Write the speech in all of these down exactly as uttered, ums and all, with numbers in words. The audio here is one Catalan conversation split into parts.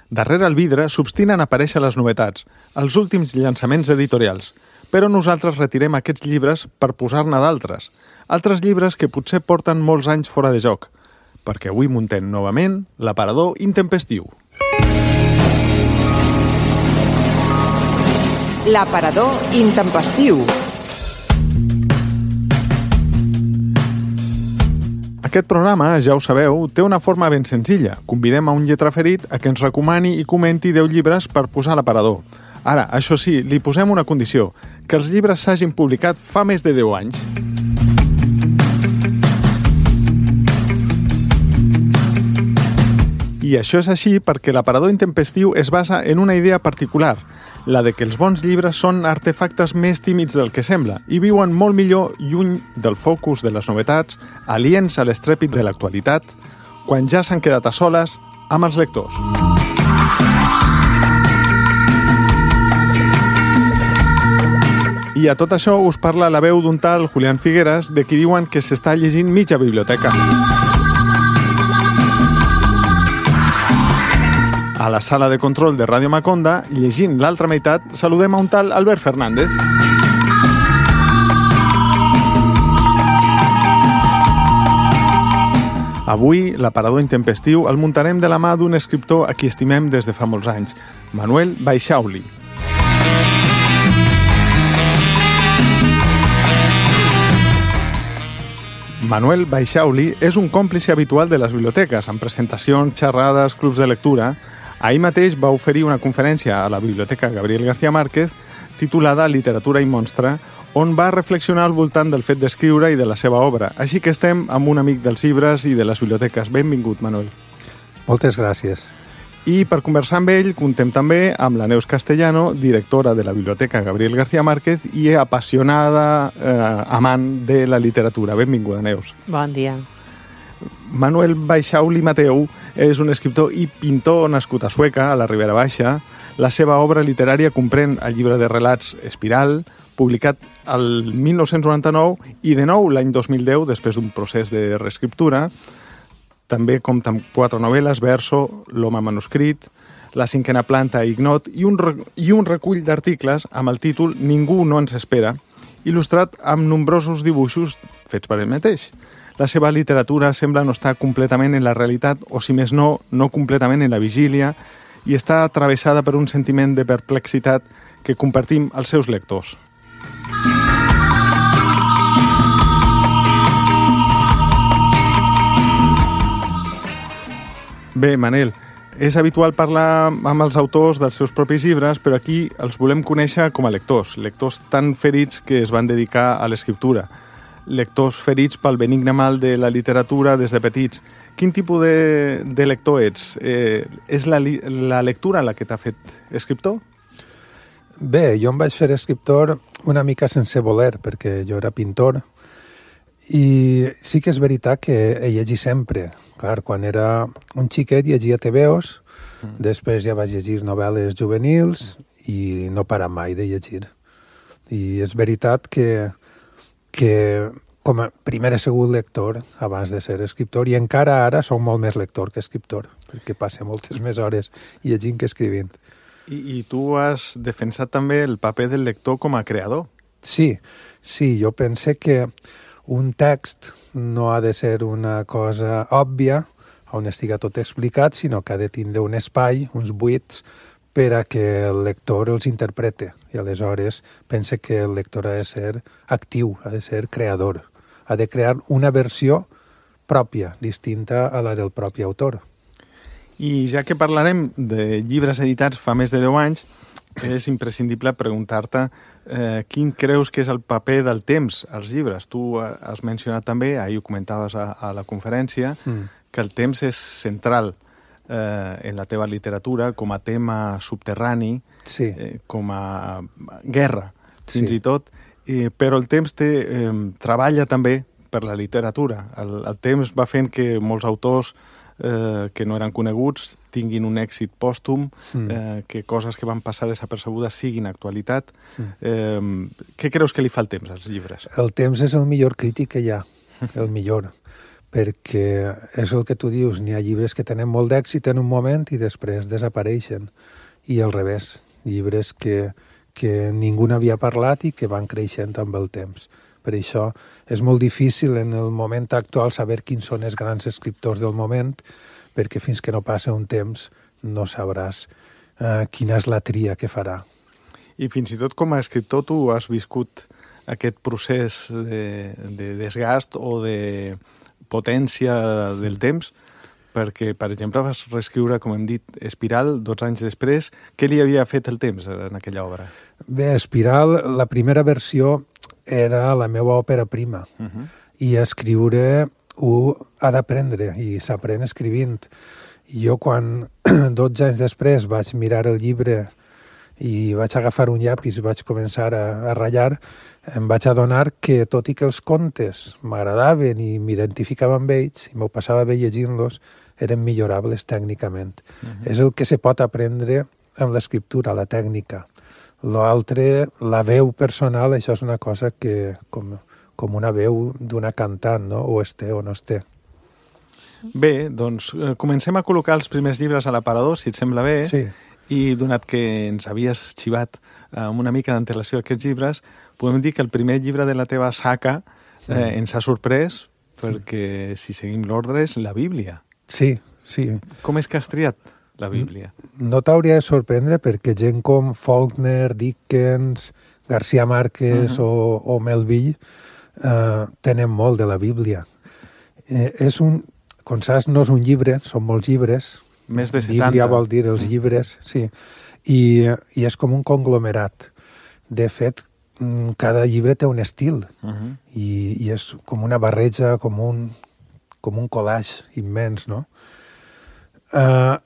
Darrere el vidre s'obstinen a aparèixer les novetats, els últims llançaments editorials. Però nosaltres retirem aquests llibres per posar-ne d'altres. Altres llibres que potser porten molts anys fora de joc. Perquè avui muntem novament l'aparador intempestiu. L'aparador intempestiu. Aquest programa, ja ho sabeu, té una forma ben senzilla. Convidem a un lletraferit a que ens recomani i comenti deu llibres per posar a l'aparador. Ara, això sí, li posem una condició, que els llibres s'hagin publicat fa més de deu anys. I això és així perquè l'aparador intempestiu es basa en una idea particular, la de que els bons llibres són artefactes més tímids del que sembla i viuen molt millor lluny del focus de les novetats, aliens a l'estrèpit de l'actualitat, quan ja s'han quedat a soles amb els lectors. I a tot això us parla la veu d'un tal Julián Figueras, de qui diuen que s'està llegint mitja biblioteca. A la sala de control de Ràdio Maconda, llegint l'altra meitat, saludem a un tal Albert Fernández. Avui, l'aparador intempestiu el muntarem de la mà d'un escriptor a qui estimem des de fa molts anys, Manuel Baixauli. Manuel Baixauli és un còmplice habitual de les biblioteques, amb presentacions, xerrades, clubs de lectura. Ahir mateix va oferir una conferència a la Biblioteca Gabriel García Márquez titulada Literatura i monstre, on va reflexionar al voltant del fet d'escriure i de la seva obra. Així que estem amb un amic dels llibres i de les biblioteques. Benvingut, Manuel. Moltes gràcies. I per conversar amb ell, contem també amb la Neus Castellano, directora de la Biblioteca Gabriel García Márquez i apassionada eh, amant de la literatura. Benvinguda, Neus. Bon dia. Manuel Baixauli Mateu és un escriptor i pintor nascut a Sueca, a la Ribera Baixa. La seva obra literària comprèn el llibre de relats Espiral, publicat el mil nou-cents noranta-nou i de nou l'any dos mil deu, després d'un procés de reescriptura. També compta amb quatre novel·les, Verso, L'home manuscrit, La cinquena planta, Ignot, i un, i un recull d'articles amb el títol Ningú no ens espera, il·lustrat amb nombrosos dibuixos fets per ell mateix. La seva literatura sembla no estar completament en la realitat, o si més no, no completament en la vigília, i està travessada per un sentiment de perplexitat que compartim els seus lectors. Bé, Manel, és habitual parlar amb els autors dels seus propis llibres, però aquí els volem conèixer com a lectors, lectors tan ferits que es van dedicar a l'escriptura, lectors ferits pel benigne mal de la literatura des de petits. Quin tipus de, de lector ets? Eh, és la, la lectura la que t'ha fet escriptor? Bé, jo em vaig fer escriptor una mica sense voler, perquè jo era pintor, i sí que és veritat que he llegit sempre. Clar, quan era un xiquet llegia tebeos, mm. després ja vaig llegir novel·les juvenils i no parar mai de llegir. I és veritat que, que com a primer he sigut lector abans de ser escriptor, i encara ara soc molt més lector que escriptor, perquè passo moltes més hores llegint que escrivint. I, I tu has defensat també el paper del lector com a creador. Sí, sí, jo pense que un text no ha de ser una cosa òbvia, on estiga tot explicat, sinó que ha de tindre un espai, uns buits, per a que el lector els interprete. I aleshores pense que el lector ha de ser actiu, ha de ser creador, ha de crear una versió pròpia, distinta a la del propi autor. I ja que parlarem de llibres editats fa més de deu anys, és imprescindible preguntar-te eh, quin creus que és el paper del temps als llibres. Tu has mencionat també, ahir ho comentaves a, a la conferència, mm. que el temps és central eh, en la teva literatura com a tema subterrani, sí. eh, com a guerra, fins sí. i tot, eh, però el temps té, eh, treballa també per la literatura. El, el temps va fent que molts autors eh, que no eren coneguts tinguin un èxit pòstum, mm. eh, que coses que van passar desapercebudes siguin actualitat. Mm. Eh, què creus que li fa el temps als llibres? El temps és el millor crític que hi ha, el millor, perquè és el que tu dius, n'hi ha llibres que tenen molt d'èxit en un moment i després desapareixen, i al revés, llibres que, que ningú n'havia parlat i que van creixent amb el temps. Per això és molt difícil en el moment actual saber quins són els grans escriptors del moment, perquè fins que no passa un temps no sabràs eh, quina és la tria que farà. I fins i tot com a escriptor tu has viscut aquest procés de, de desgast o de potència del temps, perquè, per exemple, vas reescriure, com hem dit, Espiral, dotze anys després. Què li havia fet el temps en aquella obra? Bé, Espiral, la primera versió era la meva òpera prima, uh-huh. i escriure ho ha d'aprendre, i s'aprèn escrivint. I jo, quan dotze anys després vaig mirar el llibre i vaig agafar un llapis i vaig començar a, a ratllar, em vaig adonar que, tot i que els contes m'agradaven i m'identificava amb ells, i m'ho passava bé llegint-los, eren millorables tècnicament. Uh-huh. És el que se pot aprendre amb l'escriptura, la tècnica. L'altre, la veu personal, això és una cosa que, com, com una veu d'una cantant, no? O es té o no es té. Bé, doncs eh, comencem a col·locar els primers llibres a l'aparador, si et sembla bé. Sí. I donat que ens havies xivat eh, amb una mica d'antelació aquests llibres, podem dir que el primer llibre de la teva saca eh, mm. ens ha sorprès, perquè, si seguim l'ordre, és la Bíblia. Sí, sí. Com és que has triat la Bíblia? No t'hauria de sorprendre, perquè gent com Faulkner, Dickens, García Márquez uh-huh. o, o Melville eh, tenen molt de la Bíblia. Eh, és un, com saps, no és un llibre, són molts llibres. Més de setanta. Bíblia vol dir els llibres, sí. I, i és com un conglomerat. De fet, cada llibre té un estil, uh-huh. i, i és com una barreja, com un, com un collage immens, no? Uh,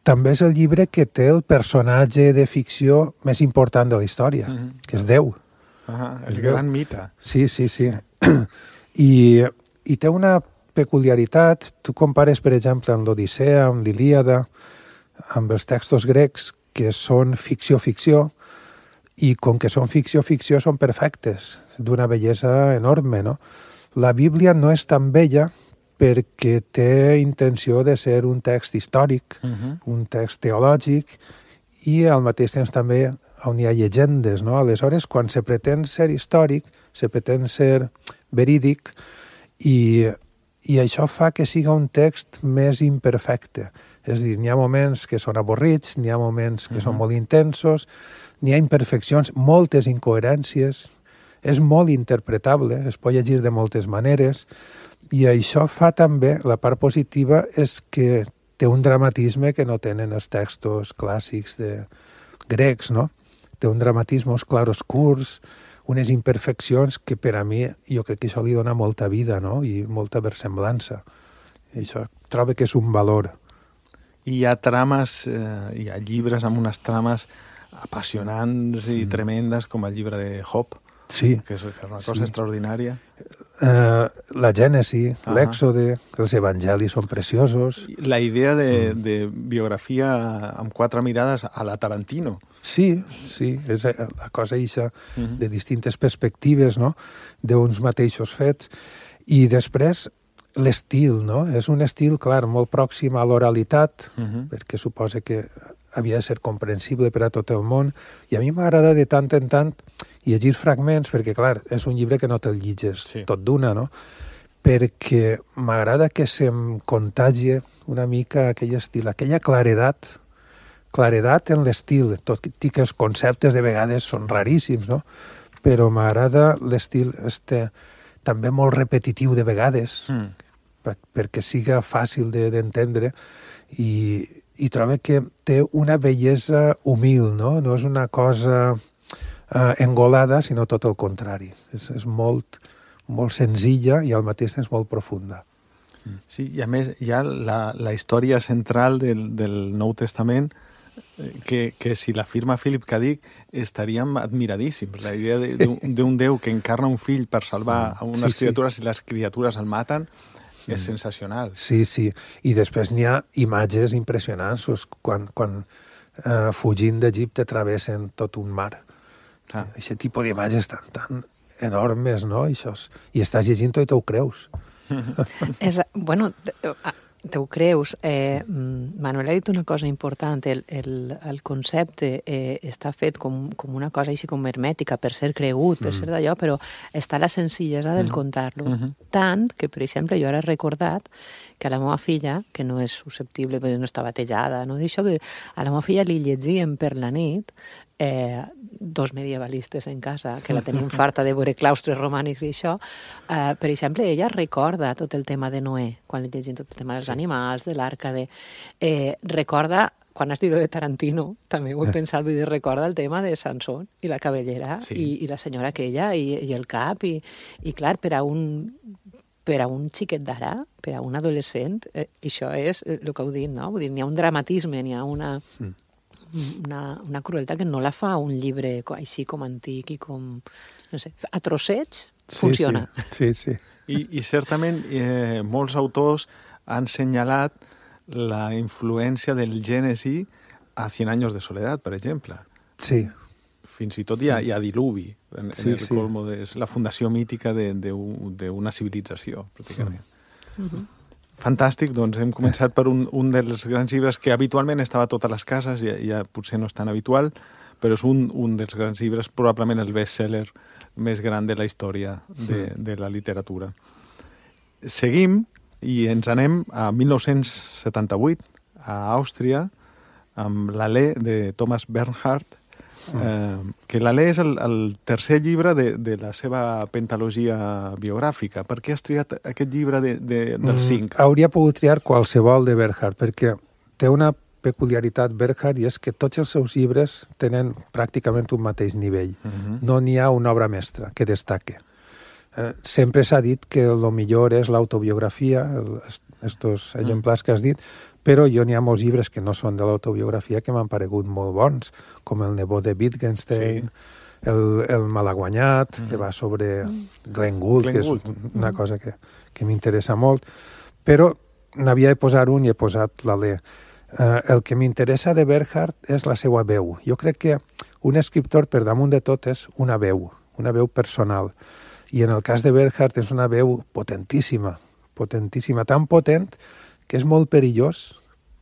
també és el llibre que té el personatge de ficció més important de la història, uh-huh. que és Déu. Uh-huh. El gran mite. Sí, sí, sí. I, i té una peculiaritat. Tu compares, per exemple, amb l'Odissea, amb l'Ilíada, amb els textos grecs, que són ficció-ficció, i com que són ficció-ficció són perfectes, d'una bellesa enorme, no? La Bíblia no és tan bella perquè té intenció de ser un text històric, uh-huh. un text teològic, i al mateix temps també on hi ha llegendes, no? Aleshores, quan se pretén ser històric, se pretén ser verídic, i, i això fa que siga un text més imperfecte. És a dir, n'hi ha moments que són avorrits, n'hi ha moments que uh-huh. són molt intensos, n'hi ha imperfeccions, moltes incoherències, és molt interpretable, es pot llegir de moltes maneres, i això fa també, la part positiva és que té un dramatisme que no tenen els textos clàssics de grecs, no? Té un dramatisme, uns claroscurs, unes imperfeccions que per a mi, jo crec que això li dona molta vida, no? I molta versemblança. I això trobo que és un valor. I hi ha trames, eh, hi ha llibres amb unes trames apassionants i mm. tremendes, com el llibre de Job, sí. que és una cosa sí. extraordinària. Uh, la Gènesi, uh-huh. l'Èxode, els evangelis són preciosos. La idea de, mm. de biografia amb quatre mirades a la Tarantino. Sí, sí, és la cosa eixa uh-huh. de distintes perspectives, no?, d'uns mateixos fets. I després l'estil, no? És un estil, clar, molt pròxim a l'oralitat, uh-huh. perquè suposa que havia de ser comprensible per a tot el món, i a mi m'agrada de tant en tant llegir fragments, perquè, clar, és un llibre que no te'l llitges sí. tot d'una, no? Perquè m'agrada que se'm contagie una mica aquell estil, aquella claredat, claredat en l'estil, tot i que els conceptes de vegades són raríssims, no? Però m'agrada l'estil este, també molt repetitiu de vegades, mm. per, perquè siga fàcil de, d'entendre, i i trobo que té una bellesa humil, no? No és una cosa uh, engolada, sinó tot el contrari. És, és molt, molt senzilla i al mateix temps molt profunda. Sí, i a més hi ha la, la història central del, del Nou Testament que, que si la firma Philip K. Dick estaríem admiradíssims. La idea d'un Déu que encarna un fill per salvar a unes sí, criatures sí. i les criatures el maten és sensacional. Sí, sí. I després n'hi ha imatges impressionants quan, quan eh, fugint d'Egipte travessen tot un mar. Aquest tipus d'imatges tan, tan enormes, no? I, això és... I estàs llegint-ho i t'ho creus. És, bueno, te ho creus. Eh, Manuel ha dit una cosa important. El, el, el concepte eh, està fet com, com una cosa així com hermètica per ser cregut, per mm. ser d'allò, però està la senzillesa del mm. contar-lo. Mm -hmm. Tant que, per exemple, jo ara he recordat que a la meva filla, que no és susceptible, perquè no està batejada, no d'això, a la meva filla li llegíem per la nit eh, dos medievalistes en casa, que la tenim farta de veure claustres romànics i això. Eh, per exemple, ella recorda tot el tema de Noé, quan li llegim tot el tema dels animals, de l'arca, de... Eh, recorda, quan has dit de Tarantino, també ho he pensat, vull dir, recorda el tema de Sansón i la cabellera sí. i, i la senyora aquella i, i el cap, i, i clar, per a un... per a un xiquet d'ara, per a un adolescent, eh, això és el que heu dit, no? Vull dir, n'hi ha un dramatisme, n'hi ha una, una, una crueltat que no la fa un llibre així com antic i com, no sé, a trossets funciona. Sí, sí. sí. I, I certament eh, molts autors han assenyalat la influència del Gènesi a Cien años de soledat, per exemple. Sí. Fins i tot hi ha, hi ha diluvi en, sí, en el sí. colmo de la fundació mítica d'una civilització, pràcticament. Mm -hmm. Fantàstic, doncs hem començat per un, un dels grans llibres que habitualment estava a totes les cases, ja, ja potser no és tan habitual, però és un, un dels grans llibres, probablement el best-seller més gran de la història de, de la literatura. Seguim i ens anem a mil nou-cents setanta-vuit, a Àustria, amb l'Alè de Thomas Bernhard, Eh, que l'Alè és el, el tercer llibre de, de la seva pentalogia biogràfica. Per què has triat aquest llibre de, de, dels cinc? Mm, hauria pogut triar qualsevol de Bernhard, perquè té una peculiaritat Bernhard i és que tots els seus llibres tenen pràcticament un mateix nivell. Uh-huh. No n'hi ha una obra mestra que destaque. Eh, sempre s'ha dit que el millor és l'autobiografia, estos exemplars que has dit, però jo n'hi ha molts llibres que no són de l'autobiografia que m'han paregut molt bons, com el nebot de Wittgenstein, sí. el, el Malaguanyat, mm. que va sobre Glenn Gould, Glenn que és Gould. una mm. cosa que, que m'interessa molt, però n'havia de posar un i he posat l'Alè. Uh, el que m'interessa de Bernhard és la seva veu. Jo crec que un escriptor, per damunt de tot, és una veu, una veu personal. I en el cas de Bernhard és una veu potentíssima, potentíssima, tan potent que és molt perillós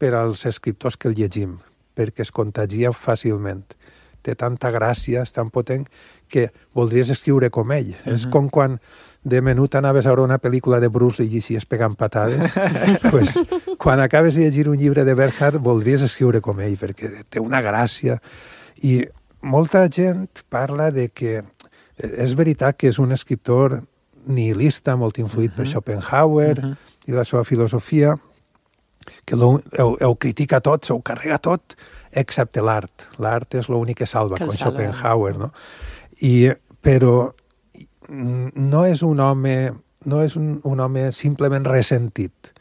per als escriptors que el llegim, perquè es contagia fàcilment. Té tanta gràcia, és tan potent, que voldries escriure com ell. Uh-huh. És com quan de menut anaves a veure una pel·lícula de Bruce Lee i xies pegant patades. pues, quan acabes de llegir un llibre de Bernhard, voldries escriure com ell, perquè té una gràcia. I molta gent parla de que és veritat que és un escriptor nihilista, molt influït uh-huh. per Schopenhauer uh-huh. i la seva filosofia, que ho, ho, ho critica tot, ho carrega tot, excepte l'art. L'art és l'únic que salva, que com salva. Schopenhauer, no? I, però no és un home, no és un, un home simplement ressentit.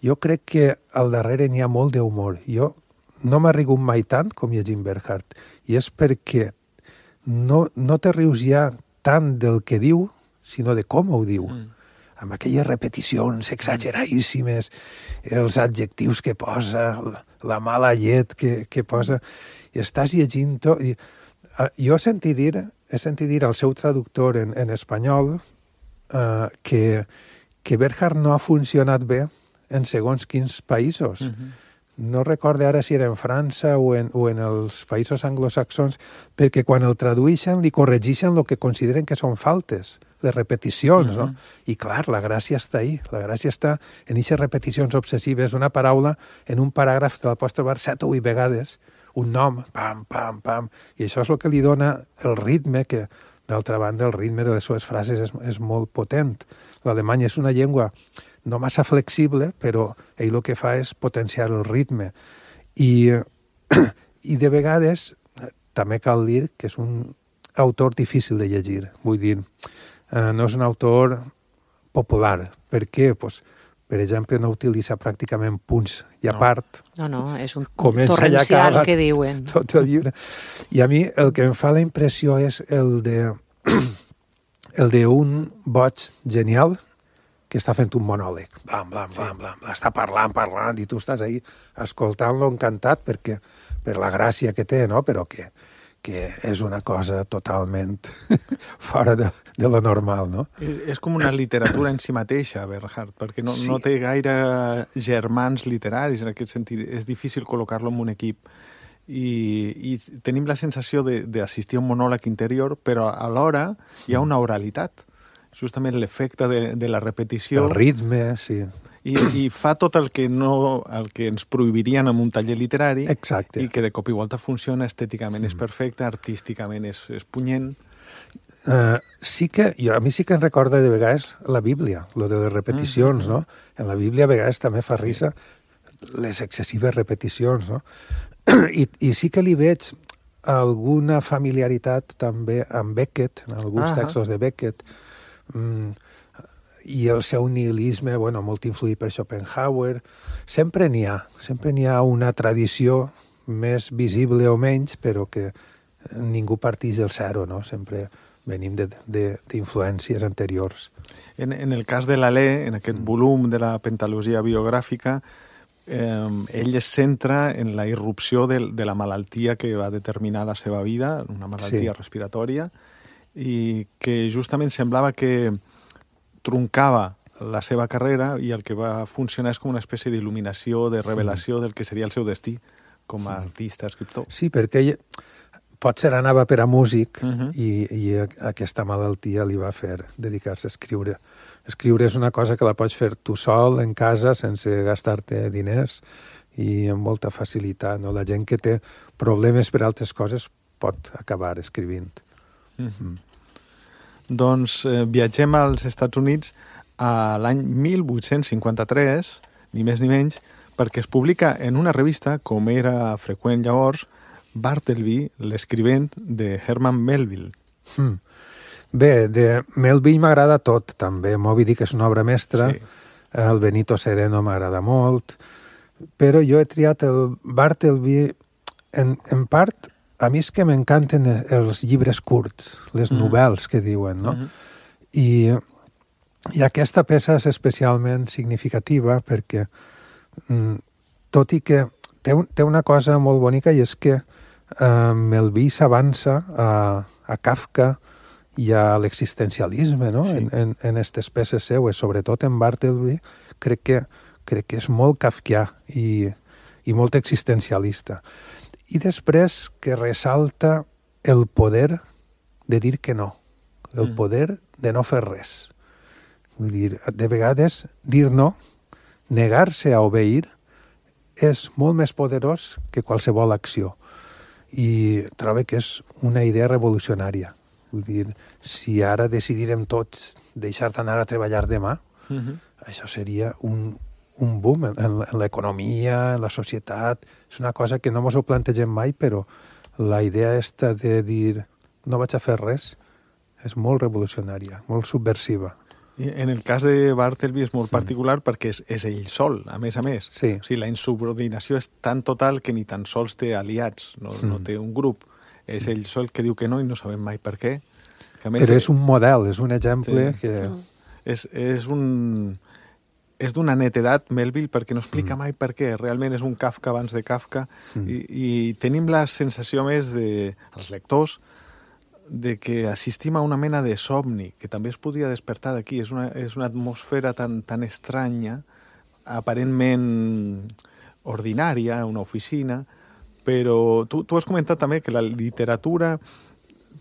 Jo crec que al darrere n'hi ha molt d'humor. Jo no m'ha rigut mai tant com llegint Bernhard, i és perquè no, no te rius ja tant del que diu, sinó de com ho diu. Mm. Amb aquelles repeticions exageradíssimes, els adjectius que posa, la mala llet que, que posa, i estàs llegint tot. I, uh, jo he sentit dir, he sentit dir al seu traductor en, en espanyol uh, que, que Bernhard no ha funcionat bé en segons quins països. Uh-huh. No recorde ara si era en França o en, o en els països anglosaxons, perquè quan el tradueixen li corregeixen el que consideren que són faltes, les repeticions, uh-huh. no? I clar, la gràcia està ahí, la gràcia està en aquestes repeticions obsessives d'una paraula en un paràgraf te la pots trobar set o vuit vegades, un nom, pam, pam, pam, i això és el que li dona el ritme, que d'altra banda el ritme de les seves frases és, és molt potent. L'alemany és una llengua no massa flexible, però ell el que fa és potenciar el ritme. I, i de vegades també cal dir que és un autor difícil de llegir, vull dir, Uh, no és un autor popular. Per què? Pues, per exemple, no utilitza pràcticament punts i a no. part no, no, és un torrencial que diuen. Tot el llibre. I a mi el que em fa la impressió és el de el d'un boig genial que està fent un monòleg. Blam, blam, blam, blam. Està parlant, parlant, i tu estàs ahí escoltant-lo encantat perquè per la gràcia que té, no? Però que que és una cosa totalment fora de, de lo normal, no? És com una literatura en si mateixa, Bernhard, perquè no, Sí. no té gaire germans literaris en aquest sentit. És difícil col·locar-lo en un equip. I, i tenim la sensació de- d'assistir a un monòleg interior, però alhora hi ha una oralitat. Justament l'efecte de, de la repetició. El ritme, sí. I, i fa tot el que, no, el que ens prohibirien en un taller literari. Exacte. I que de cop i volta funciona, estèticament és perfecte, artísticament és, és punyent. Uh, sí que, jo, a mi sí que em recorda de vegades la Bíblia, lo de les repeticions, Mm-hmm. no? En la Bíblia a vegades també fa risa les excessives repeticions, no? I, I sí que li veig alguna familiaritat també amb Beckett, en alguns Ah. textos de Beckett, mm, i el seu nihilisme, bueno, molt influït per Schopenhauer. Sempre n'hi ha, sempre n'hi ha una tradició més visible o menys, però que ningú parteix del zero, no? Sempre venim de- de- d'influències anteriors. En, en el cas de l'Alè, en aquest volum de la pentalogia biogràfica, eh, ell es centra en la irrupció de, de la malaltia que va determinar la seva vida, una malaltia Sí. respiratòria, i que justament semblava que truncava la seva carrera i el que va funcionar és com una espècie d'il·luminació, de revelació del que seria el seu destí com a artista, escriptor. Sí, perquè ell potser anava per a músic Mhm. i, i a- aquesta malaltia li va fer dedicar-se a escriure. Escriure és una cosa que la pots fer tu sol, en casa, sense gastar-te diners i amb molta facilitat. No? La gent que té problemes per altres coses pot acabar escrivint. Doncs eh, viatgem als Estats Units a l'any mil vuit-cents cinquanta-tres, ni més ni menys, perquè es publica en una revista, com era freqüent llavors, Bartleby, l'escrivent de Herman Melville. Mm. Bé, de Melville m'agrada tot, també. Moby Dick és una obra mestra, Sí. el Benito Sereno m'agrada molt, però jo he triat el Bartleby en, en part. A mi és que m'encanten els llibres curts, les Mhm. novel·les que diuen, no? Mhm. I, I aquesta peça és especialment significativa perquè, mm, tot i que té, un, té una cosa molt bonica, i és que eh, Melville s'avança a, a Kafka i a l'existencialisme, no? Sí. En, en, en aquestes peces seues, sobretot en Bartleby, crec que, crec que és molt kafkià i, i molt existencialista. I després que ressalta el poder de dir que no, el Mm. poder de no fer res. Vull dir, de vegades dir no, negar-se a obeir, és molt més poderós que qualsevol acció. I trobo que és una idea revolucionària. Vull dir, si ara decidirem tots deixar d'anar a treballar demà, Mhm. això seria un, un boom en, en, en l'economia, en la societat. És una cosa que no ens ho plantegem mai, però la idea esta de dir no vaig a fer res és molt revolucionària, molt subversiva. I en el cas de Bartleby és molt particular perquè és, és ell sol, a més a més. Sí. O sigui, la insubordinació és tan total que ni tan sols té aliats, no, Mm. no té un grup. És ell sol que diu que no i no sabem mai per què. Que a més Però és un model, és un exemple Sí. que... és, és un... és d'una netedat, Melville, perquè no explica mai per què. Realment és un Kafka abans de Kafka. Mm. I, I tenim la sensació més de, els lectors, de que assistim a una mena de somni, que també es podria despertar d'aquí. És una, és una atmosfera tan, tan estranya, aparentment ordinària, una oficina, però tu, tu has comentat també que la literatura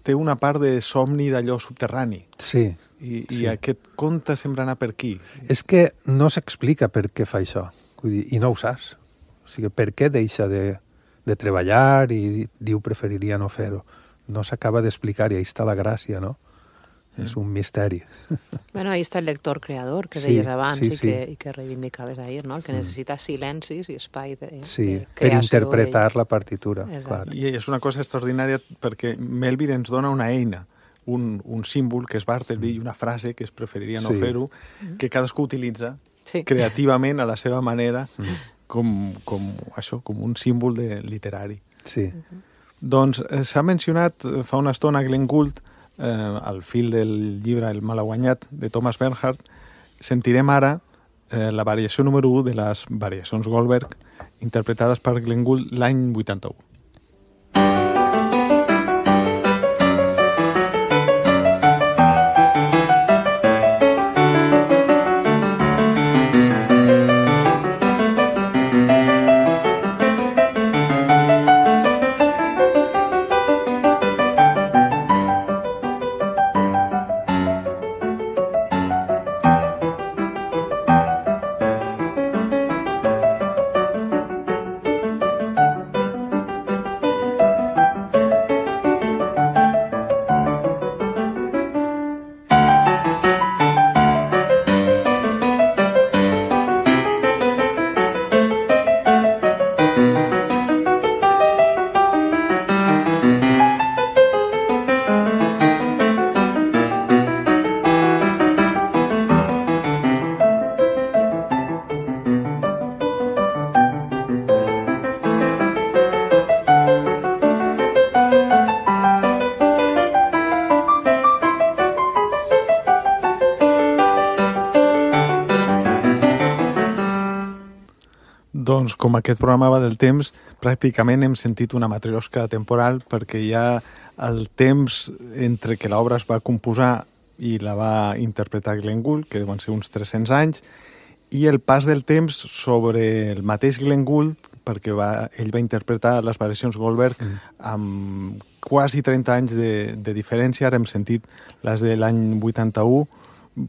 té una part de somni d'allò subterrani. Sí. I, Sí. i aquest conte sembla anar per aquí. És que no s'explica per què fa això. Vull dir, i no ho saps. O sigui, per què deixa de, de treballar i di- diu preferiria no fer-ho. No s'acaba d'explicar i ahí està la gràcia, no? Mm. És un misteri. Bueno, ahí està el lector creador que Sí, deies abans sí, i, sí. que, i que reivindicaves ahir, no? El que necessita silencis i espai de, Sí, de per creació interpretar ell. la partitura. Exacte. Clar. I és una cosa extraordinària perquè Melville ens dona una eina, un, un símbol que és Bartleby i una frase que es preferiria no Sí. fer-ho, que cadascú utilitza Sí. creativament a la seva manera com, com, això, com un símbol de, literari. Sí. Doncs eh, s'ha mencionat eh, fa una estona Glenn Gould, eh, al fil del llibre El malaguanyat, de Thomas Bernhard. Sentirem ara eh, la variació número u de les variacions Goldberg, interpretades per Glenn Gould l'any vuitanta-u. doncs com aquest programa va del temps, pràcticament hem sentit una matriosca temporal perquè hi ha el temps entre que l'obra es va composar i la va interpretar Glenn Gould, que deuen ser uns tres-cents anys, i el pas del temps sobre el mateix Glenn Gould, perquè va, ell va interpretar les variacions Goldberg mm. amb quasi trenta anys de, de diferència. Ara hem sentit les de l'any vuitanta-u.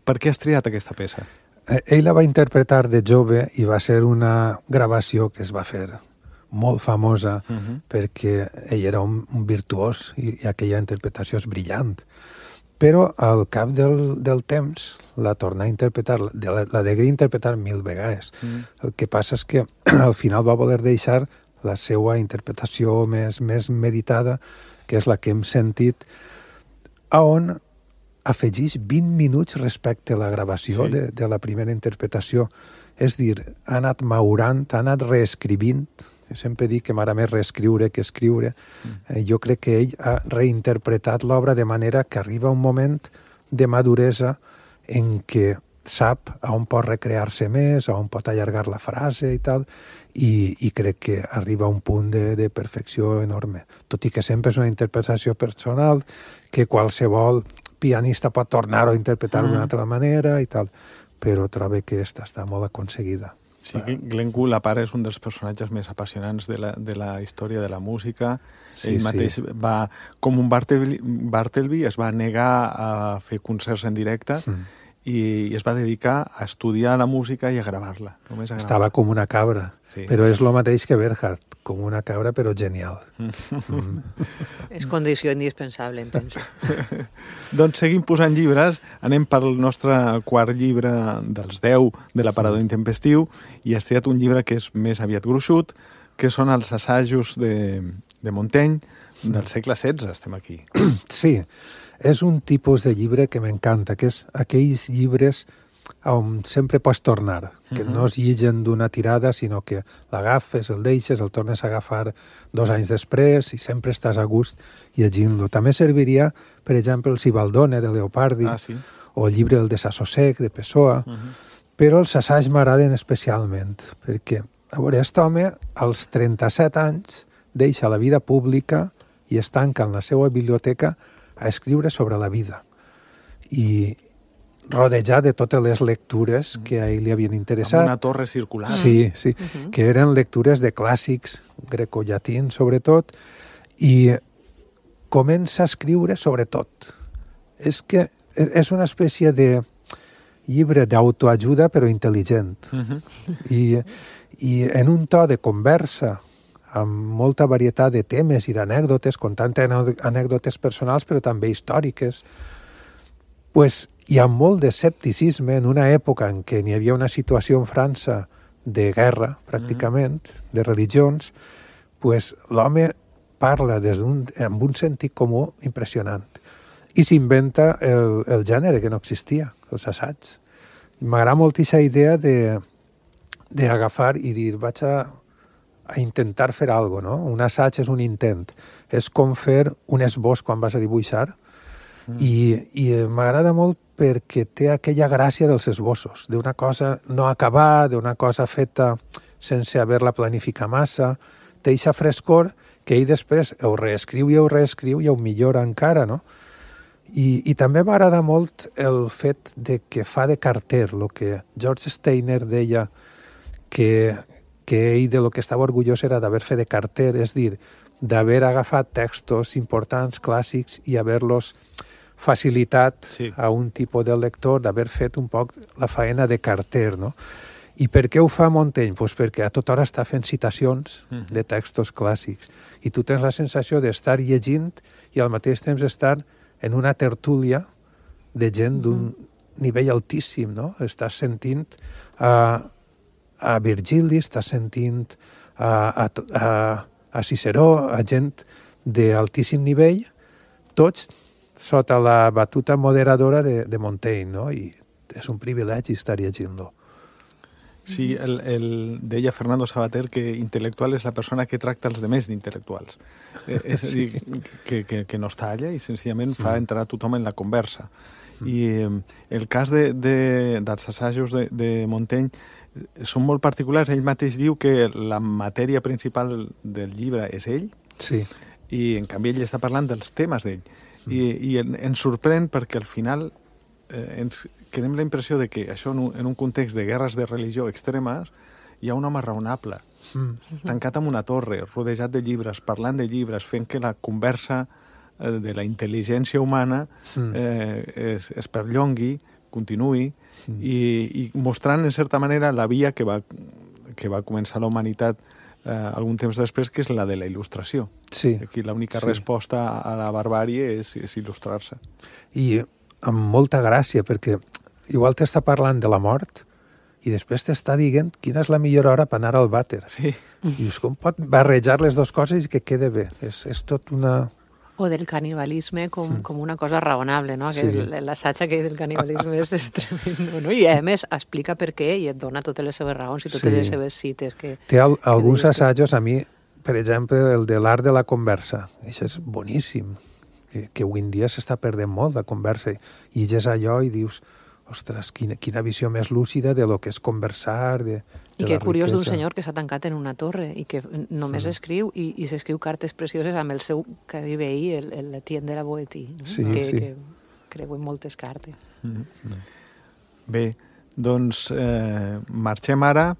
Per què has triat aquesta peça? Ell la va interpretar de jove i va ser una gravació que es va fer molt famosa uh -huh. perquè ell era un, un virtuós i, i aquella interpretació és brillant. Però al cap del, del temps la torna a interpretar, la, la degué interpretar mil vegades. Mm. El que passa és que al final va voler deixar la seva interpretació més, més meditada, que és la que hem sentit, a on afegeix vint minuts respecte a la gravació sí. de, de la primera interpretació. És dir, ha anat maurant, ha anat reescrivint. Sempre dic que m'agrada més reescriure que escriure. Mm. Eh, jo crec que ell ha reinterpretat l'obra de manera que arriba un moment de maduresa en què sap a on pot recrear-se més, a on pot allargar la frase i tal, i, i crec que arriba a un punt de, de perfecció enorme. Tot i que sempre és una interpretació personal, que qualsevol pianista pot tornar-ho a interpretar mm. d'una altra manera i tal, però trobo que esta està molt aconseguida. Sí, Glenn Gould, a part, és un dels personatges més apassionants de la, de la història de la música. Sí, Ell mateix sí. va, com un Bartleby, Bartleby, es va negar a fer concerts en directe mm. i, i es va dedicar a estudiar la música i a gravar-la. Només a gravar. Estava com una cabra, sí. però és el mateix que Bernhardt, com una cabra, però genial. Mm. És condició indispensable, penso. Doncs seguim posant llibres. Anem pel nostre quart llibre dels deu de l'aparador intempestiu i has triat un llibre que és més aviat gruixut, que són els assajos de, de Montaigne del segle setze. Estem aquí. Sí, és un tipus de llibre que m'encanta, que és aquells llibres on sempre pots tornar, que uh-huh. no es llegeixen d'una tirada, sinó que l'agafes, el deixes, el tornes a agafar dos anys després i sempre estàs a gust llegint-lo. També serviria, per exemple, el Sibaldone de Leopardi ah, sí. o el llibre El desassossec de Pessoa, uh-huh. però els assaigs m'agraden especialment, perquè, a veure, aquest home, als trenta-set anys, deixa la vida pública i es tanca en la seva biblioteca a escriure sobre la vida. I rodejat de totes les lectures que a ell li havien interessat. Amb una torre circular. Sí, sí, uh-huh. que eren lectures de clàssics, grecollatins sobretot, i comença a escriure sobre tot. És que és una espècie de llibre d'autoajuda però intel·ligent. Uh-huh. I, I en un to de conversa, amb molta varietat de temes i d'anècdotes, contant anècdotes personals però també històriques, pues, hi ha molt d'escepticisme en una època en què n'hi havia una situació en França de guerra, pràcticament, mm. de religions, pues, l'home parla des d'un, amb un sentit comú impressionant. I s'inventa el, el gènere que no existia, els assaigs. M'agrada molt aquesta idea de d'agafar i dir, vaig a, a intentar fer alguna cosa, no? Un assaig és un intent. És com fer un esbós quan vas a dibuixar. Mm. I, i m'agrada molt perquè té aquella gràcia dels esbossos, d'una cosa no acabada, d'una cosa feta sense haver-la planificat massa, té eixa frescor que ell després ho reescriu i ho reescriu i ho millora encara, no? I, i també m'agrada molt el fet de que fa de carter, el que George Steiner deia que, que ell de lo que estava orgullós era d'haver fet de carter, és dir, d'haver agafat textos importants, clàssics, i haver-los facilitat sí. a un tipus de lector, d'haver fet un poc la faena de carter, no? I per què ho fa Montaigne? Pues perquè a tota hora està fent citacions mm. de textos clàssics. I tu tens la sensació d'estar llegint i al mateix temps estar en una tertúlia de gent d'un mm. nivell altíssim, no? Estàs sentint a, a Virgili, estàs sentint a, a, a, a Ciceró, a gent d'altíssim nivell, tots sota la batuta moderadora de, de Montaigne, no? I és un privilegi estar llegint-lo. Sí, el, el, deia Fernando Sabater que intel·lectual és la persona que tracta els demés d'intel·lectuals. Eh, és a dir, que, que, que no està allà i senzillament fa entrar tothom en la conversa. I eh, el cas de, de, dels assajos de, de Montaigne són molt particulars. Ell mateix diu que la matèria principal del llibre és ell, Sí. i en canvi ell està parlant dels temes d'ell. Mm. I, i en, ens sorprèn perquè al final eh, ens quedem la impressió de que això en un, en un context de guerres de religió extremes hi ha un home raonable, Mm. tancat en una torre, rodejat de llibres, parlant de llibres, fent que la conversa eh, de la intel·ligència humana Mm. eh, es, es perllongui, continuï, mm. i, i mostrant, en certa manera, la via que va, que va començar la humanitat eh, algun temps després, que és la de la il·lustració. Sí. Aquí l'única Sí. resposta a la barbàrie és, és il·lustrar-se. I amb molta gràcia, perquè igual t'està parlant de la mort i després t'està dient quina és la millor hora per anar al vàter. Sí. I dius, com pot barrejar les dues coses i que quede bé? És, és tot una... O del canibalisme com, com una cosa raonable, no? Que Sí. el- l'assaig aquell del canibalisme és, és tremendo, no? I a més explica per què i et dona totes les seves raons i totes Sí. les seves cites. Que, Té al, alguns dius tu? assajos, a mi, per exemple, el de l'art de la conversa. Això és boníssim, que, que avui en dia s'està perdent molt la conversa. I llegeix allò i dius, ostres, quina, quina visió més lúcida de lo que és conversar, de, de I la que curiós d'un riquesa. senyor que s'ha tancat en una torre i que només mm. escriu i, i s'escriu cartes precioses amb el seu quasi veí, el, el Etienne de la Boétie, no? Sí, que, sí. que creuen moltes cartes. Mm -hmm. Bé, doncs eh, marxem ara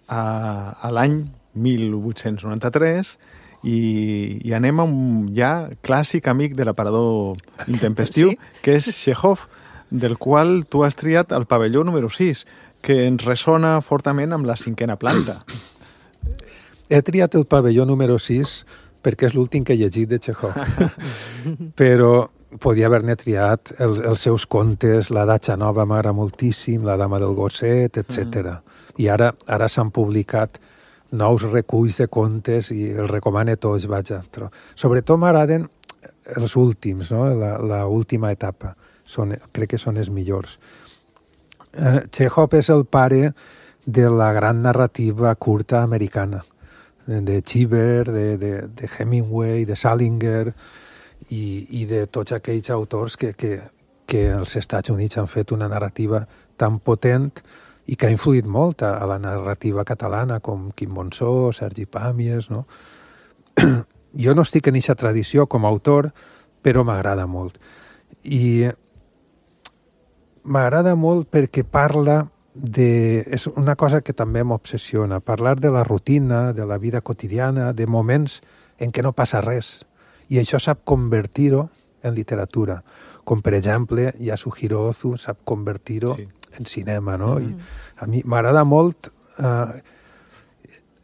a, a l'any mil vuit-cents noranta-tres i, i anem a un ja clàssic amic de l'aparador intempestiu, Sí. que és Chekhov, del qual tu has triat el pavelló número sis, que ens ressona fortament amb la cinquena planta. He triat el pavelló número sis perquè és l'últim que he llegit de Chekhov. Però podia haver-ne triat el, els seus contes, la Datxa Nova m'agrada moltíssim, la Dama del Gosset, etcètera. Mm. I ara ara s'han publicat nous reculls de contes i els recomane tots, vaja. Però sobretot m'agraden els últims, no? La, la última etapa. Són, crec que són els millors. Eh, Chekhov és el pare de la gran narrativa curta americana, de Cheever, de, de, de Hemingway, de Salinger i, i de tots aquells autors que, que, que als Estats Units han fet una narrativa tan potent i que ha influït molt a, a la narrativa catalana, com Quim Monzó, Sergi Pàmies, no? Jo no estic en aquesta tradició com a autor, però m'agrada molt. I m'agrada molt perquè parla de... És una cosa que també m'obsessiona, parlar de la rutina, de la vida quotidiana, de moments en què no passa res. I això sap convertir-ho en literatura. Com, per exemple, Yasuhiro Ozu sap convertir-ho sí. en cinema, no? Mm. I a mi m'agrada molt... Eh,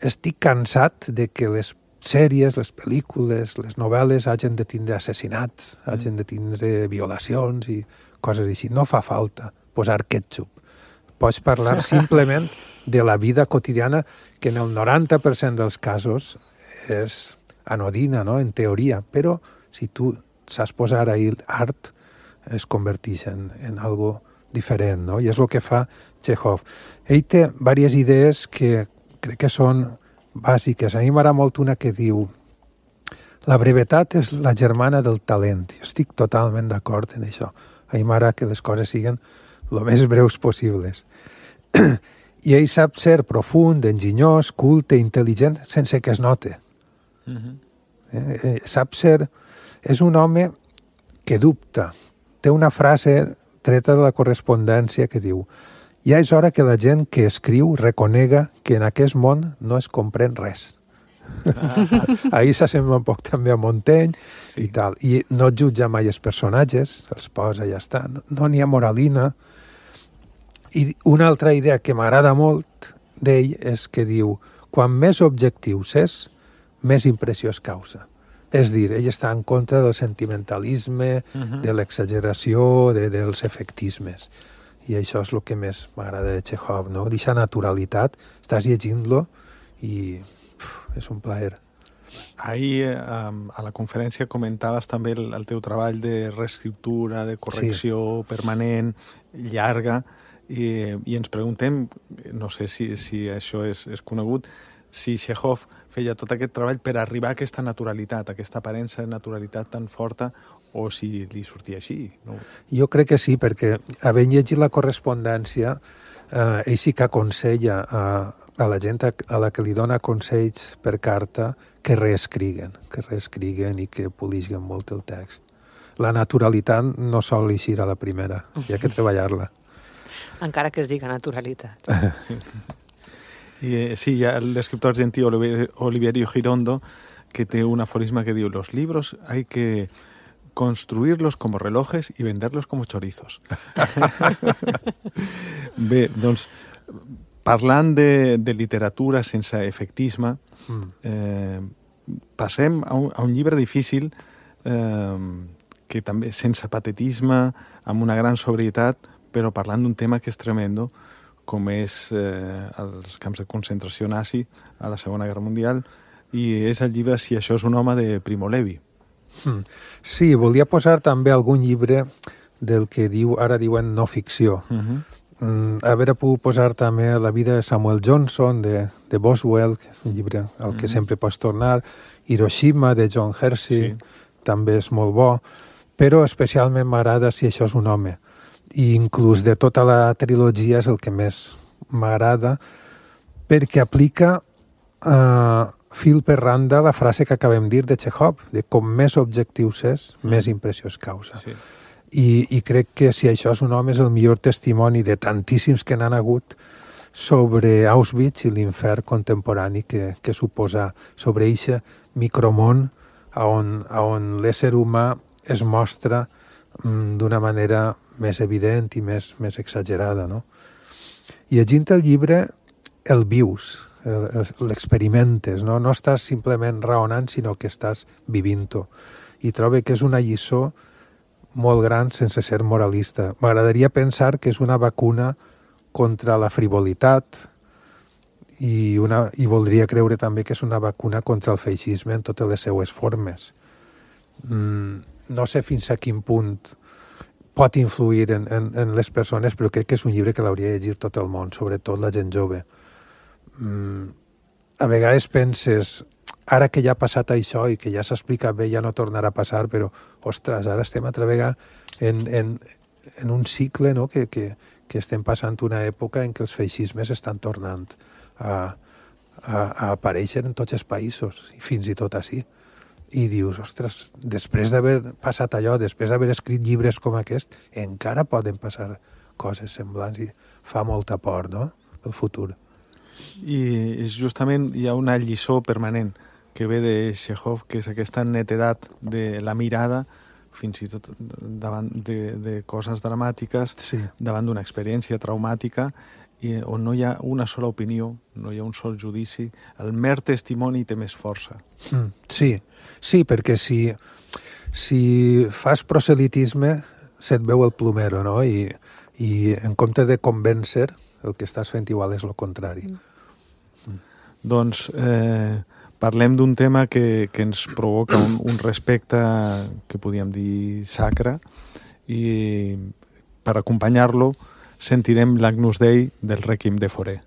estic cansat de que les sèries, les pel·lícules, les novel·les hagin de tindre assassinats, mm. hagin de tindre violacions i coses així. No fa falta posar ketchup. Pots parlar simplement de la vida quotidiana, que en el noranta per cent dels casos és anodina, no?, en teoria, però si tu saps posar ahí art, es converteix en, en algo diferent, no? I és el que fa Chekhov. Ell té diverses idees que crec que són bàsiques. A mi m'agrada molt una que diu: la brevetat és la germana del talent. Jo estic totalment d'acord en això. A mi m'agrada que les coses siguin el més breus possibles. I ell sap ser profund, enginyós, culte, intel·ligent, sense que es note. Uh-huh. eh, eh, sap ser... És un home que dubta. Té una frase treta de la correspondència que diu: ja és hora que la gent que escriu reconega que en aquest món no es comprèn res. Ah. Ahir s'assembla un poc també a Montaigne sí. i tal. I no jutja mai els personatges, els posa i ja està. No n'hi ha moralina. I una altra idea que m'agrada molt d'ell és que diu: quan més objectius és, més impressió es causa. És dir, ell està en contra del sentimentalisme, uh-huh. de l'exageració, de, dels efectismes. I això és el que més m'agrada de Chekhov, no? D'aquesta naturalitat, estàs llegint-lo i uf, és un plaer. Ahir, eh, a la conferència, comentaves també el, el teu treball de reescriptura, de correcció sí. permanent, llarga, i, i ens preguntem, no sé si, si això és, és conegut, si Chekhov feia tot aquest treball per arribar a aquesta naturalitat, a aquesta aparença de naturalitat tan forta, o si li sortia així. No? Jo crec que sí, perquè havent llegit la correspondència eh, ell sí que aconsella a, a la gent a, a la que li dona consells per carta que reescriguen, que reescriguen i que polisguen molt el text. La naturalitat no sol eixir a la primera, hi ha que treballar-la. Encara que es diga naturalitat. I, eh, sí, hi ha l'escriptor argentí Oliver, Oliverio Girondo, que té un aforisme que diu: los libros hay que construirlos como relojes y venderlos como chorizos. Bé, doncs, parlant de, de literatura sense efectisme, mm. eh, passem a un, a un llibre difícil, eh, que també sense patetisme, amb una gran sobrietat, però parlant d'un tema que és tremendo, com és eh, els camps de concentració nazi a la Segona Guerra Mundial, i és el llibre Si això és un home, de Primo Levi. Sí, volia posar també algun llibre del que diu ara diuen no ficció. Uh-huh. Mm, haver pogut posar també La vida de Samuel Johnson, de, de Boswell, que és un llibre al uh-huh. que sempre pots tornar, Hiroshima, de John Hersey, sí. també és molt bo, però especialment m'agrada Si això és un home. I inclús de tota la trilogia és el que més m'agrada, perquè aplica eh, fil per randa la frase que acabem de dir de Chekhov, de com més objectius és, mm. més impressió es causa. Sí. I, I crec que Si això és un home és el millor testimoni de tantíssims que n'han hagut sobre Auschwitz i l'infern contemporani que, que suposa sobre eixe micromón on, on l'ésser humà es mostra mm, d'una manera més evident i més, més exagerada, no? I llegint el llibre el vius, l'experimentes, no? No estàs simplement raonant, sinó que estàs vivint-ho. I trobo que és una lliçó molt gran sense ser moralista. M'agradaria pensar que és una vacuna contra la frivolitat i, una, i voldria creure també que és una vacuna contra el feixisme en totes les seues formes. Mm, no sé fins a quin punt pot influir en, en, en les persones, però crec que és un llibre que l'hauria de llegir tot el món, sobretot la gent jove. Mm, a vegades penses, ara que ja ha passat això i que ja s'ha explicat bé, ja no tornarà a passar, però, ostres, ara estem altra vegada en, en, en un cicle, no?, que, que, que estem passant una època en què els feixismes estan tornant a, a, a aparèixer en tots els països, i fins i tot així. I dius, ostres, després d'haver passat allò, després d'haver escrit llibres com aquest, encara poden passar coses semblants i fa molta por, no?, el futur. I justament hi ha una lliçó permanent que ve de Chekhov, que és aquesta netedat de la mirada, fins i tot davant de, de coses dramàtiques, sí. davant d'una experiència traumàtica, i on no hi ha una sola opinió, no hi ha un sol judici, el mer testimoni té més força. Mm, sí, sí, perquè si, si fas proselitisme se't veu el plomero, no? I, i en compte de convèncer, el que estàs fent igual és el contrari. Mm. Doncs eh, parlem d'un tema que, que ens provoca un, un respecte que podríem dir sacre, i per acompanyar-lo sentirem l'Agnus Dei del Requiem de Fauré.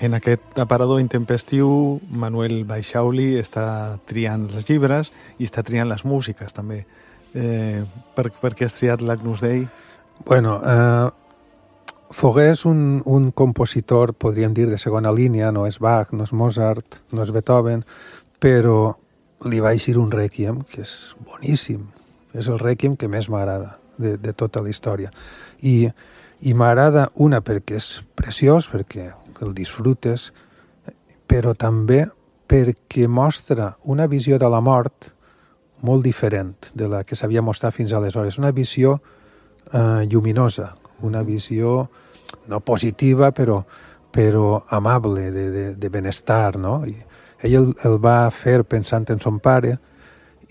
En aquest aparador intempestiu, Manuel Baixauli està triant els llibres i està triant les músiques, també. Eh, per, per què has triat l'Agnus Dei? Bueno, eh, Fauré és un, un compositor, podríem dir, de segona línia, no és Bach, no és Mozart, no és Beethoven, però li va eixir un rèquiem que és boníssim. És el rèquiem que més m'agrada de, de tota la història. I, i m'agrada una perquè és preciós, perquè el disfrutes, però també perquè mostra una visió de la mort molt diferent de la que s'havia mostrat fins aleshores. Una visió eh, lluminosa, una visió no positiva, però, però amable, de, de, de benestar, no? I ell el, el va fer pensant en son pare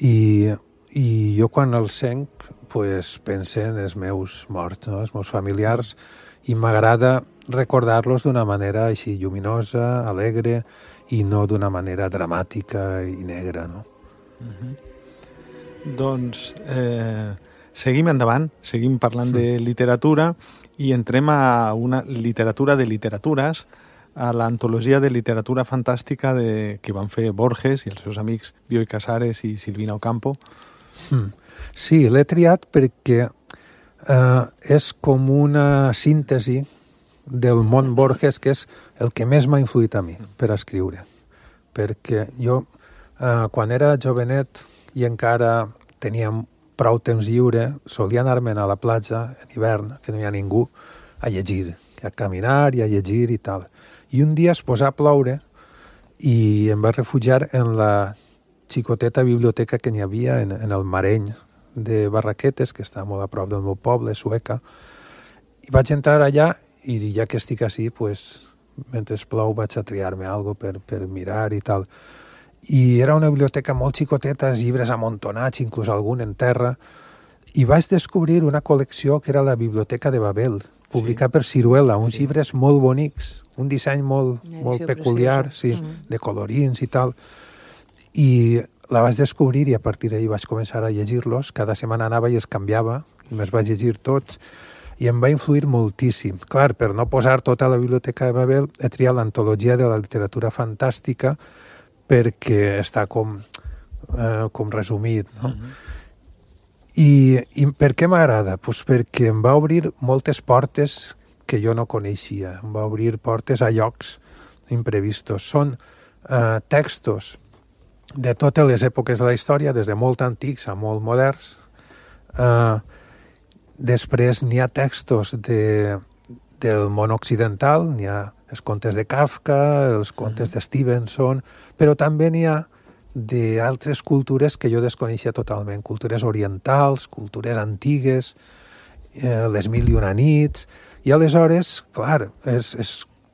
i, i jo quan el senc pues, pense en els meus morts, no? Els meus familiars, i m'agrada recordar-los d'una manera així lluminosa, alegre, i no d'una manera dramàtica i negra, no? Mm-hmm. Doncs eh, seguim endavant, seguim parlant mm. de literatura i entrem a una literatura de literatures, a l'antologia de literatura fantàstica de, que van fer Borges i els seus amics Bioy Casares i Silvina Ocampo. Mm. Sí, l'he triat perquè eh, és com una síntesi del món Borges, que és el que més m'ha influït a mi per escriure. Perquè jo, eh, quan era jovenet i encara tenia prou temps lliure, solia anar-me'n a la platja en hivern, que no hi ha ningú, a llegir, a caminar i a llegir i tal. I un dia es posà a ploure i em vaig refugiar en la xicoteta biblioteca que n'hi havia en, en el Mareny de Barraquetes, que està molt a prop del meu poble, Sueca. I vaig entrar allà i ja que estic així, pues, mentre plou vaig a triar-me alguna cosa per, per mirar i tal. I era una biblioteca molt xicoteta, llibres amuntonats, inclús algun en terra, i vaig descobrir una col·lecció que era la Biblioteca de Babel, publicada sí. per Ciruela, uns sí. llibres molt bonics, un disseny molt, molt peculiar, sí, mm. de colorins i tal. I la vaig descobrir i a partir d'ahir vaig començar a llegir-los. Cada setmana anava i els canviava, i me'ls vaig llegir tots, i em va influir moltíssim. Clar, per no posar tota la Biblioteca de Babel, he triat l'antologia de la literatura fantàstica perquè està com, eh, com resumit, no? Mm-hmm. I, I per què m'agrada? Pues perquè em va obrir moltes portes que jo no coneixia. Em va obrir portes a llocs imprevistos. Són eh, textos de totes les èpoques de la història, des de molt antics a molt moderns. Eh, després n'hi ha textos de, del món occidental, n'hi ha els contes de Kafka, els contes de Stevenson, però també n'hi ha d'altres cultures que jo desconeixia totalment, cultures orientals, cultures antigues, eh, les mil i una nits, i aleshores, clar, és, és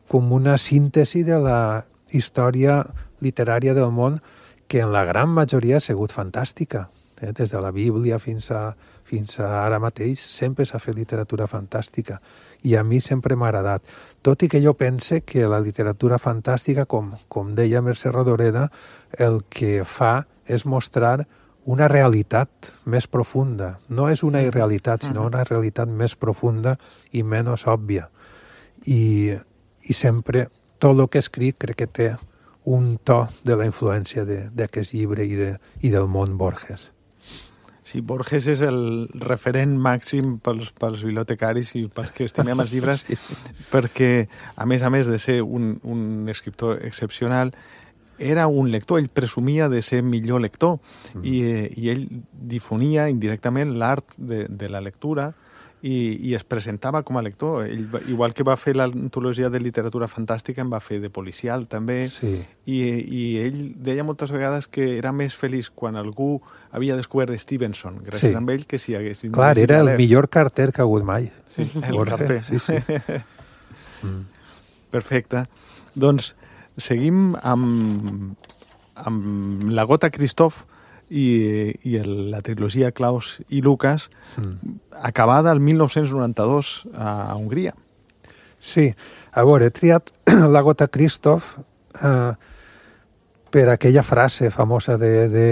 com una síntesi de la història literària del món que en la gran majoria ha sigut fantàstica. Eh? Des de la Bíblia fins a, fins a ara mateix sempre s'ha fet literatura fantàstica i a mi sempre m'ha agradat. Tot i que jo pense que la literatura fantàstica, com, com deia Mercè Rodoreda, el que fa és mostrar una realitat més profunda. No és una irrealitat, sinó una realitat més profunda i menys òbvia. I, i sempre tot el que escric crec que té un to de la influència d'aquest llibre i, de, i del món Borges. Sí, Borges és el referent màxim pels, pels bibliotecaris i pels que estimem els llibres, sí. Perquè, a més a més de ser un, un escriptor excepcional, era un lector, ell presumia de ser millor lector mm. i, i ell difonia indirectament l'art de, de la lectura i, i es presentava com a lector. Ell, igual que va fer l'antologia de literatura fantàstica, en va fer de policial també, sí. I, i ell deia moltes vegades que era més feliç quan algú havia descobert Stevenson, gràcies sí. a ell, que si hagués... Clar, era el millor carter que ha hagut mai. Sí, el Borges. Carter. Sí, sí. mm. Perfecte. Doncs seguim amb, amb la Gota Christoph i, i el, la trilogia Klaus i Lucas, mm. acabada el mil nou-cents noranta-dos a Hongria. Sí, a veure, he triat la Gota Christoph eh, per aquella frase famosa de, de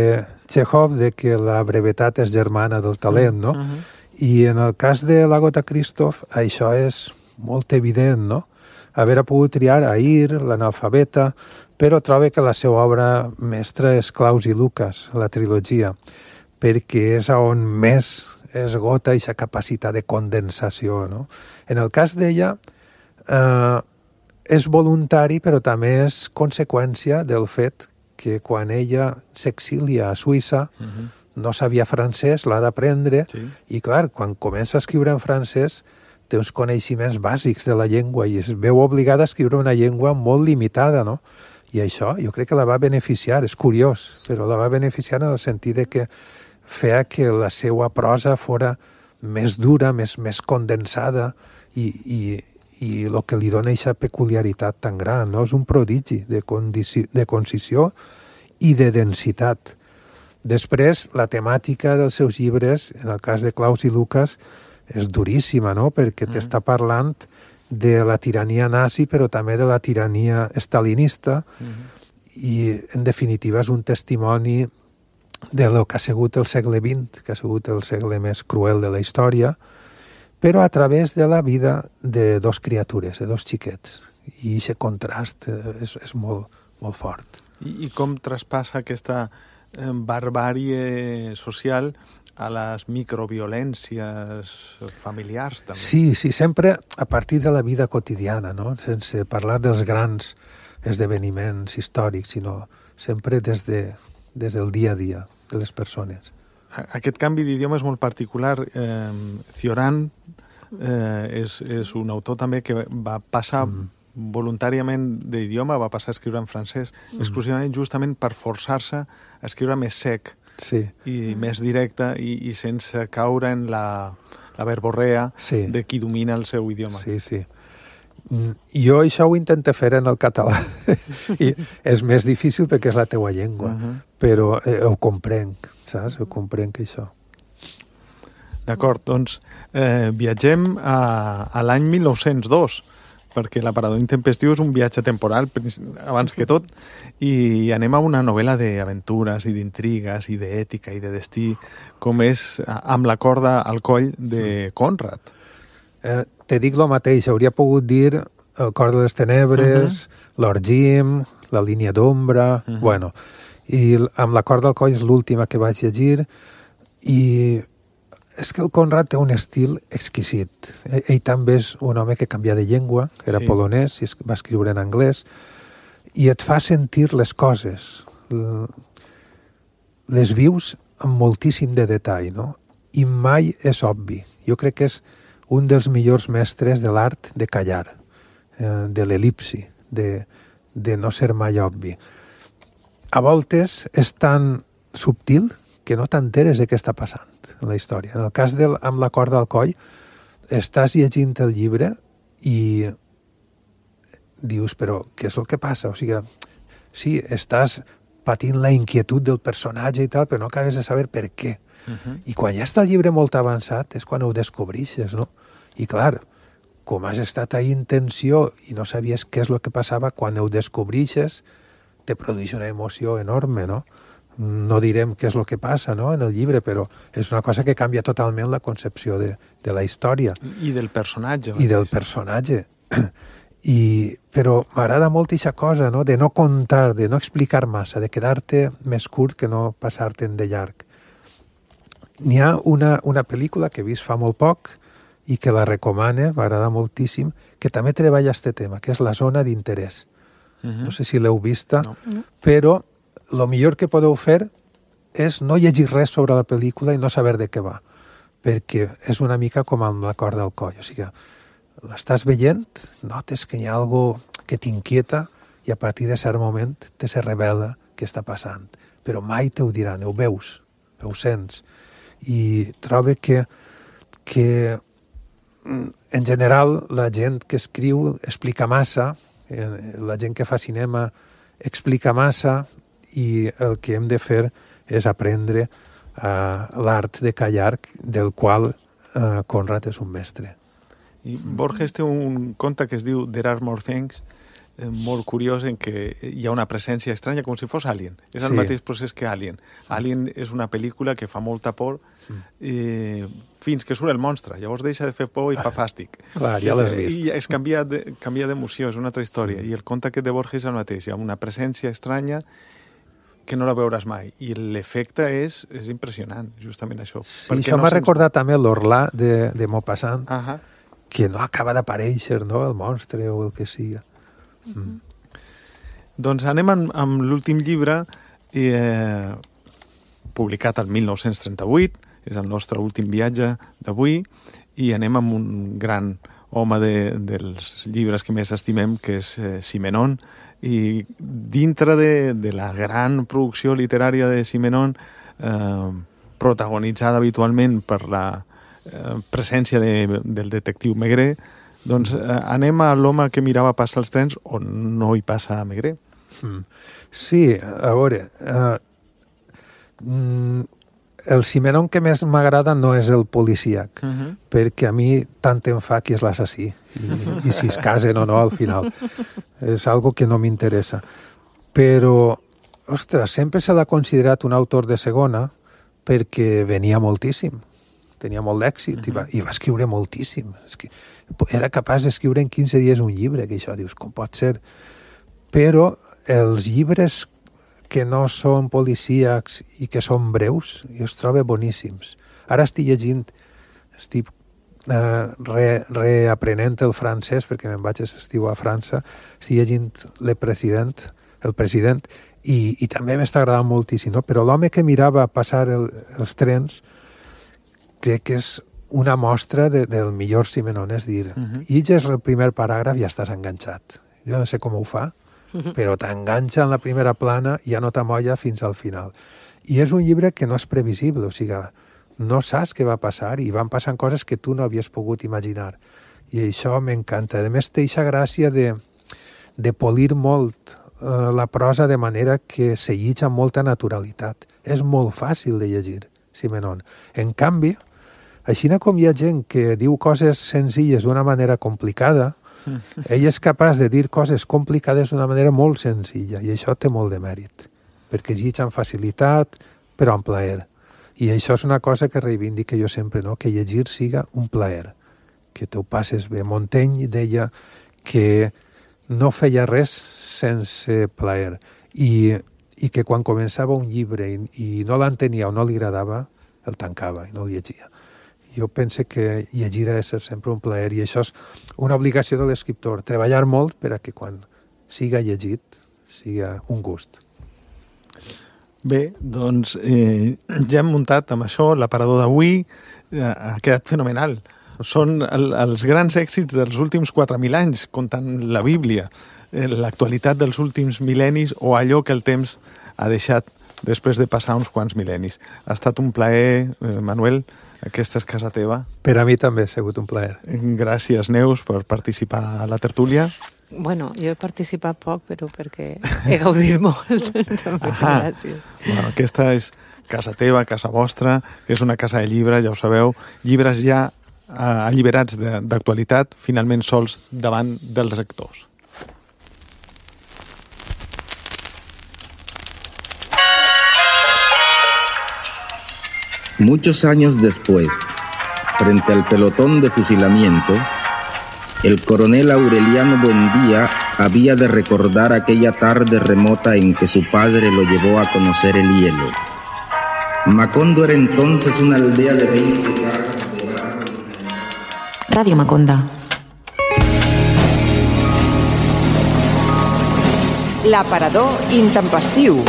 Chekhov de que la brevetat és germana del talent, no? Mm-hmm. I en el cas de la Gota Christoph això és molt evident, no? haver pogut triar Ahir, l'analfabeta, però trobo que la seva obra mestra és Claus i Lucas, la trilogia, perquè és on més esgota aquesta capacitat de condensació, no? En el cas d'ella, eh, és voluntari, però també és conseqüència del fet que quan ella s'exilia a Suïssa, uh-huh. no sabia francès, l'ha d'aprendre, sí. i clar, quan comença a escriure en francès, té uns coneixements bàsics de la llengua i es veu obligada a escriure una llengua molt limitada, no? I això jo crec que la va beneficiar, és curiós, però la va beneficiar en el sentit de que feia que la seva prosa fora més dura, més, més condensada i, i, i el que li dona aquesta peculiaritat tan gran, no? És un prodigi de, condici, de concisió i de densitat. Després, la temàtica dels seus llibres, en el cas de Claus i Lucas, és duríssima, no? Perquè mm. t'està parlant de la tirania nazi, però també de la tirania stalinista, mm. i, en definitiva, és un testimoni de lo que ha sigut el segle vint, que ha sigut el segle més cruel de la història, però a través de la vida de dos criatures, de dos xiquets. I aquest contrast és, és molt, molt fort. I, I com traspassa aquesta eh, barbàrie social a les microviolències familiars, també? Sí, sí, sempre a partir de la vida quotidiana, no? Sense parlar dels grans esdeveniments històrics, sinó sempre des, de, des del dia a dia de les persones. Aquest canvi d'idioma és molt particular. Eh, Cioran eh, és, és un autor també que va passar mm. voluntàriament d'idioma, va passar a escriure en francès, mm. exclusivament justament per forçar-se a escriure més sec, sí. i més directe i, i sense caure en la, la verborrea sí. de qui domina el seu idioma. Sí, sí. Jo això ho intento fer en el català i és més difícil perquè és la teua llengua, uh-huh. però eh, ho comprenc, saps? Ho comprenc, això. D'acord, doncs eh, viatgem a, a l'any mil nou-cents dos, perquè l'Aparador Intempestiu és un viatge temporal, abans que tot, i anem a una novel·la d'aventures i d'intrigues i d'ètica i de destí, com és Amb la corda al coll de Conrad. Eh, te dic el mateix, hauria pogut dir El cor de les tenebres, uh-huh. Lord Jim, La línia d'ombra, uh-huh. bueno, i Amb la corda al coll és l'última que vaig llegir, i és que el Conrad té un estil exquisit. Ell, ell també és un home que canvia de llengua, que era sí. polonès, i va escriure en anglès, i et fa sentir les coses. Les vius amb moltíssim de detall, no? I mai és obvi. Jo crec que és un dels millors mestres de l'art de callar, eh, de l'elipsi, de, de no ser mai obvi. A voltes és tan subtil que no t'enteres de què està passant en la història. En el cas del Amb la corda al coll, estàs llegint el llibre i dius, però què és el que passa? O sigui, sí, estàs patint la inquietud del personatge i tal, però no acabes de saber per què. Uh-huh. I quan ja està el llibre molt avançat és quan ho descobreixes, no? I clar, com has estat ahí en tensió i no sabies què és el que passava, quan ho descobreixes te produeix una emoció enorme, no? No direm què és el que passa, no?, en el llibre, però és una cosa que canvia totalment la concepció de, de la història. I del personatge. I del personatge. I, però m'agrada molt aquesta cosa, no?, de no contar, de no explicar massa, de quedar-te més curt que no passar-te'n de llarg. N'hi ha una, una pel·lícula que he vist fa molt poc i que la recomane, m'agrada moltíssim, que també treballa aquest tema, que és La zona d'interès. Uh-huh. No sé si l'heu vista, no. però el millor que podeu fer és no llegir res sobre la pel·lícula i no saber de què va, perquè és una mica com Amb la corda al coll. O sigui, l'estàs veient, notes que hi ha algo que t'inquieta i a partir de cert moment te se revela què està passant. Però mai te ho diran, ho veus, ho sents. I trobo que, que en general la gent que escriu explica massa, la gent que fa cinema explica massa, i el que hem de fer és aprendre uh, l'art de callar, del qual uh, Conrad és un mestre. I Borges té un conte que es diu There Are More Things, eh, molt curiós en què hi ha una presència estranya, com si fos Alien. És el Sí. mateix procés que Alien. Alien és una pel·lícula que fa molta por eh, fins que surt el monstre. Llavors deixa de fer por i fa fàstic. Clar, ja l'has És- vist. I es canvia de- canvia d'emoció, és una altra història. I el conte aquest de Borges és el mateix. Hi ha una presència estranya que no la veuràs mai. I l'efecte és, és impressionant, justament això. Sí, Perquè això no m'ha se'ns- recordat també l'Orlà de, de Maupassant, Ahà. que no acaba d'aparèixer, no?, el monstre o el que siga. Mm. Doncs anem amb, amb l'últim llibre eh, publicat el mil nou-cents trenta-vuit, és el nostre últim viatge d'avui, i anem amb un gran home de, dels llibres que més estimem, que és eh, Simenon, i dintre de, de la gran producció literària de Simenon, eh, protagonitzada habitualment per la eh, presència de, del detectiu Maigret, doncs eh, anem a l'home que mirava passar els trens on no hi passa Maigret. Mm. Sí, a veure, uh, mm, el Simenon que més m'agrada no és el policíac, Uh -huh. perquè a mi tant em fa qui és l'assassí i, i si es casen o no al final. És algo que no m'interessa. Però, ostres, sempre se l'ha considerat un autor de segona perquè venia moltíssim, tenia molt d'èxit, uh-huh. i, va, i va escriure moltíssim. És que era capaç d'escriure en quinze dies un llibre, que això dius, com pot ser? Però els llibres que no són policíacs i que són breus, jo els trobo boníssims. Ara estic llegint, estic eh, re, reaprenent el francès, perquè me'n vaig aquest estiu a França, estic llegint Le President, el president, i, i també m'està agradant moltíssim, no? Però l'home que mirava passar el, els trens crec que és una mostra de, del millor Simenon, és dir, uh -huh. llegeix el primer paràgraf i ja estàs enganxat. Jo no sé com ho fa, però t'enganxa en la primera plana i ja no t'amolla fins al final. I és un llibre que no és previsible, o sigui, no saps què va passar i van passant coses que tu no havies pogut imaginar. I això m'encanta. A més, té aquesta gràcia de, de polir molt eh, la prosa de manera que se llig amb molta naturalitat. És molt fàcil de llegir, Simenon. En canvi, així com hi ha gent que diu coses senzilles d'una manera complicada, ell és capaç de dir coses complicades d'una manera molt senzilla, i això té molt de mèrit, perquè es llig amb facilitat, però amb plaer. I això és una cosa que reivindico jo sempre, no? Que llegir siga un plaer, que tu passes bé. Montaigne deia que no feia res sense plaer, i, i que quan començava un llibre i, i no l'entenia o no li agradava, el tancava i no el llegia. Jo penso que llegir ha de ser sempre un plaer, i això és una obligació de l'escriptor, treballar molt per a que quan siga llegit siga un gust. Bé, doncs eh, ja hem muntat amb això l'aparador d'avui, eh, ha quedat fenomenal. Són el, els grans èxits dels últims quatre mil anys, comptant la Bíblia, eh, l'actualitat dels últims mil·lennis o allò que el temps ha deixat després de passar uns quants mil·lennis. Ha estat un plaer, eh, Manuel, aquesta és casa teva. Per a mi també ha sigut un plaer. Gràcies, Neus, per participar a la tertúlia. Bueno, jo he participat poc, però perquè he gaudit molt. També, Ahà. gràcies. Bueno, aquesta és casa teva, casa vostra, que és una casa de llibres, ja ho sabeu. Llibres ja eh, alliberats de- d'actualitat, finalment sols davant dels lectors. Muchos años después, frente al pelotón de fusilamiento, el coronel Aureliano Buendía había de recordar aquella tarde remota en que su padre lo llevó a conocer el hielo. Macondo era entonces una aldea de veinte casas. Radio Maconda. L'aparador intempestiu.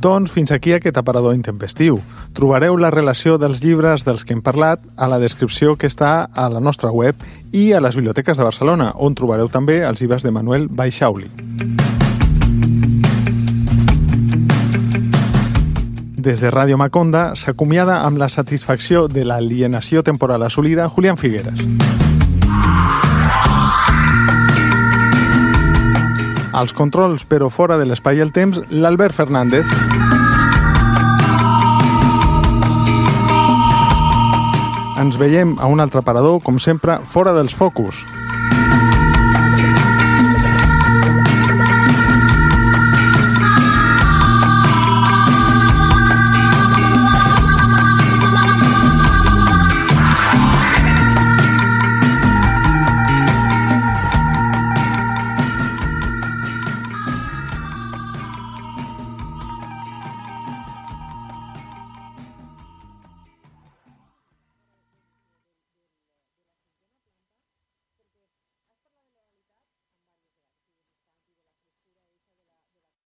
Doncs fins aquí aquest aparador intempestiu. Trobareu la relació dels llibres dels que hem parlat a la descripció que està a la nostra web i a les biblioteques de Barcelona, on trobareu també els llibres de Manuel Baixauli. Des de Ràdio Maconda s'acomiada amb la satisfacció de l'alienació temporal assolida Julián Figueres. Als controls, però fora de l'espai i el temps, l'Albert Fernández. Ens veiem a un altre aparador, com sempre, fora dels focus. Thank you.